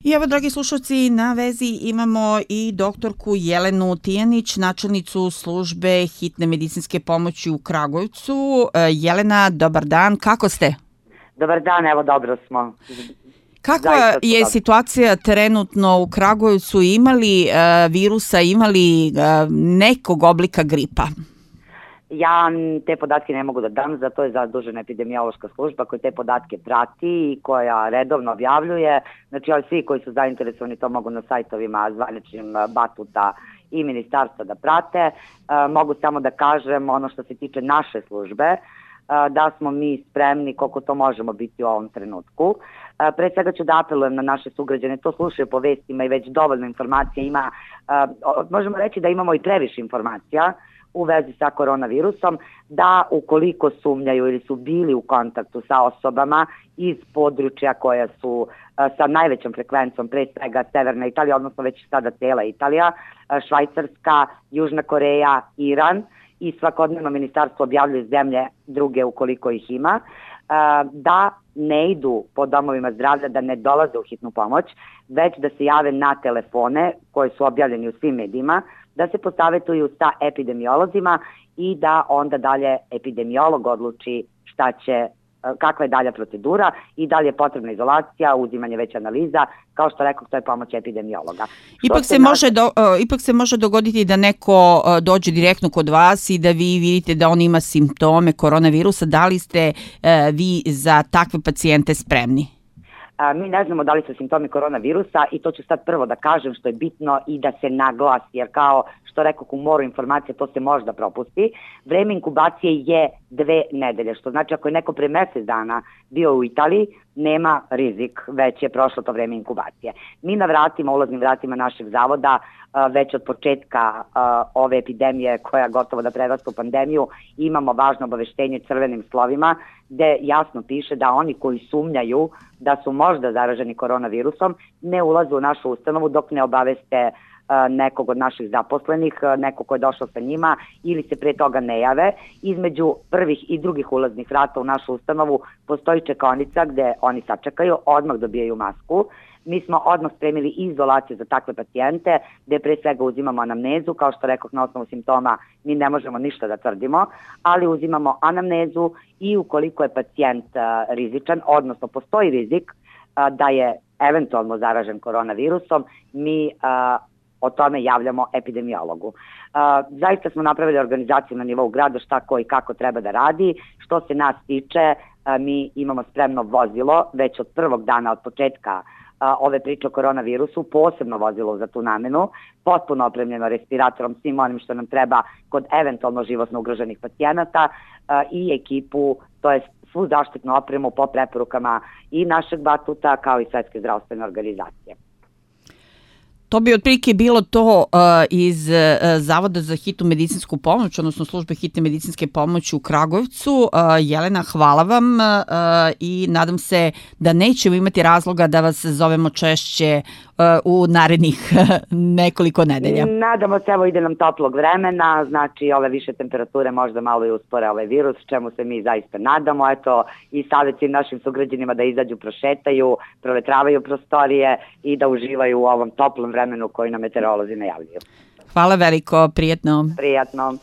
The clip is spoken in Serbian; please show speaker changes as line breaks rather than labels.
I evo, dragi slušalci, na vezi imamo i doktorku Jelenu Tijanić, načelnicu službe hitne medicinske pomoći u Kragujevcu. Jelena, dobar dan, kako ste?
Dobar dan, evo dobro smo.
Kakva je situacija trenutno u Kragujevcu? Imali virusa, imali nekog oblika gripa?
Ja te podatke ne mogu da dam, zato je zadužena epidemiološka služba koja te podatke prati i koja redovno objavljuje. Znači, svi koji su zainteresovani to mogu na sajtovima zvaničnim Batuta i ministarstva da prate. Mogu samo da kažem ono što se tiče naše službe, da smo mi spremni koliko to možemo biti u ovom trenutku. Pre svega ću da apelujem na naše sugrađane, to slušaju po vestima i već dovoljno informacija ima. Možemo reći da imamo i previše informacija u vezi sa koronavirusom, da ukoliko sumnjaju ili su bili u kontaktu sa osobama iz područja koja su sa najvećom frekvencom, pre svega Severna Italija, odnosno već sada cela Italija, Švajcarska, Južna Koreja, Iran, i svakodnevno ministarstvo objavljuje zemlje druge ukoliko ih ima, da ne idu po domovima zdravlja, da ne dolaze u hitnu pomoć, već da se jave na telefone koji su objavljeni u svim medijima, da se posavetuju sa epidemiolozima i da onda dalje epidemiolog odluči kakva je dalja procedura i da li je potrebna izolacija, uzimanje već analiza, kao što rekao, to je pomoć epidemiologa.
Ipak se može dogoditi da neko dođe direktno kod vas i da vi vidite da on ima simptome koronavirusa. Da li ste vi za takve pacijente spremni?
Mi ne znamo da li su simptomi koronavirusa i to ću sad prvo da kažem što je bitno i da se naglasi, jer kao što rekao u moru informacije, to se možda propusti. Vreme inkubacije je 2 nedelje, što znači ako je neko pre mesec dana bio u Italiji, nema rizik, već je prošlo to vreme inkubacije. Mi na vratima, ulaznim vratima našeg zavoda, već od početka ove epidemije koja gotovo da prerasta u pandemiju, imamo važno obaveštenje crvenim slovima gde jasno piše da oni koji sumnjaju da su možda zaraženi koronavirusom ne ulaze u našu ustanovu dok ne obaveste nekog od naših zaposlenih, nekog ko je došao sa njima ili se pre toga ne jave. Između prvih i drugih ulaznih vrata u našu ustanovu postoji čekaonica gde oni sačekaju, odmah dobijaju masku. Mi smo odmah spremili izolaciju za takve pacijente, gde pre svega uzimamo anamnezu, kao što rekao, na osnovu simptoma mi ne možemo ništa da tvrdimo, ali uzimamo anamnezu i ukoliko je pacijent rizičan, odnosno postoji rizik da je eventualno zaražen koronavirusom, mi o tome javljamo epidemiologu. Zaista smo napravili organizaciju na nivou grada šta ko i kako treba da radi. Što se nas tiče, mi imamo spremno vozilo već od prvog dana, od početka ove priče o koronavirusu, posebno vozilo za tu namenu, potpuno opremljeno respiratorom, svim onim što nam treba kod eventualno životno ugroženih pacijenata i ekipu, to je svu zaštitnu opremu po preporukama i našeg Batuta kao i Svetske zdravstvene organizacije.
To bi otprilike bilo to iz Zavoda za hitnu medicinsku pomoć, odnosno službe hitne medicinske pomoći u Kragujevcu. Jelena, hvala vam i nadam se da nećemo imati razloga da vas zovemo češće u narednih nekoliko nedelja.
Nadamo se, evo ide nam toplog vremena, znači ove više temperature možda malo i uspore ovaj virus, čemu se mi zaista nadamo. Eto, i savjet svim našim sugrađanima da izađu, prošetaju, provetravaju prostorije i da uživaju u ovom toplom vremenu koji nam meteorolozi najavljuju.
Hvala veliko, prijatno.
Prijatno.